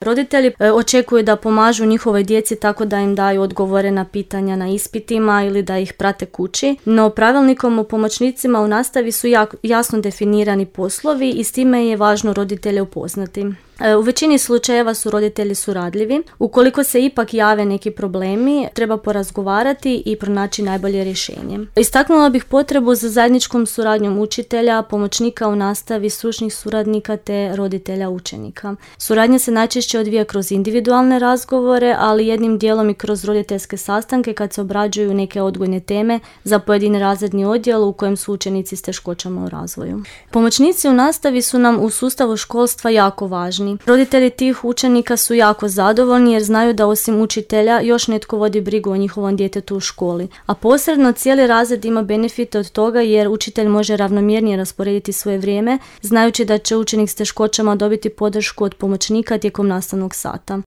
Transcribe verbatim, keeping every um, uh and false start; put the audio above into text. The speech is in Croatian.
Roditelji e, očekuju da pomažu njihovoj djeci tako da im daju odgovore na pitanja na ispitima ili da ih prate kući, no pravilnikom o pomoćnicima u nastavi su jak, jasno definirani poslovi i s time je važno roditelje upoznati. U većini slučajeva su roditelji suradljivi. Ukoliko se ipak jave neki problemi, treba porazgovarati i pronaći najbolje rješenje. Istaknula bih potrebu za zajedničkom suradnjom učitelja, pomoćnika u nastavi, stručnih suradnika te roditelja učenika. Suradnja se najčešće odvija kroz individualne razgovore, ali jednim dijelom i kroz roditeljske sastanke kad se obrađuju neke odgojne teme za pojedini razredni odjel u kojem su učenici s teškoćama u razvoju. Pomoćnici u nastavi su nam u sustavu školstva jako važni. Roditelji tih učenika su jako zadovoljni jer znaju da osim učitelja još netko vodi brigu o njihovom djetetu u školi. A posredno cijeli razred ima benefite od toga jer učitelj može ravnomjernije rasporediti svoje vrijeme, znajući da će učenik s teškoćama dobiti podršku od pomoćnika tijekom nastavnog sata.